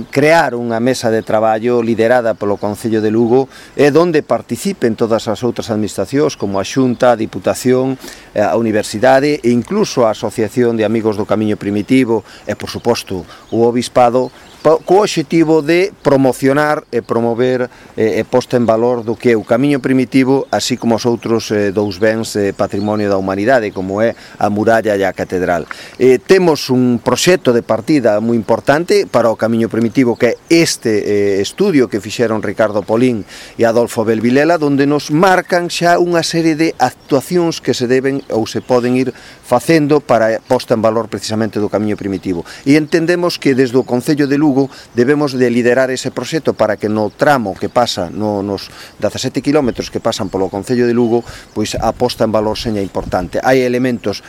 Crear unha mesa de traballo liderada polo Concello de Lugo e onde participen todas as outras administracións como a Xunta, a Diputación, a Universidade e incluso a Asociación de Amigos do Camiño Primitivo e, por suposto, o Obispado, co obxectivo de promocionar e promover e posta en valor do que é o Camiño Primitivo, así como os outros dous bens patrimonio da humanidade, como é a muralla e a catedral. Temos un proxecto de partida moi importante para o Camiño Primitivo, que é este estudio que fixeron Ricardo Polín e Adolfo Belvilela, onde nos marcan xa unha serie de actuacións que se deben ou se poden ir facendo para a posta en valor precisamente do Camiño Primitivo. E entendemos que desde o Concello de Lugo debemos de liderar ese proxecto para que no tramo que pasa nos 17 km que pasan polo Concello de Lugo, pois a posta en valor seña importante. Hai elementos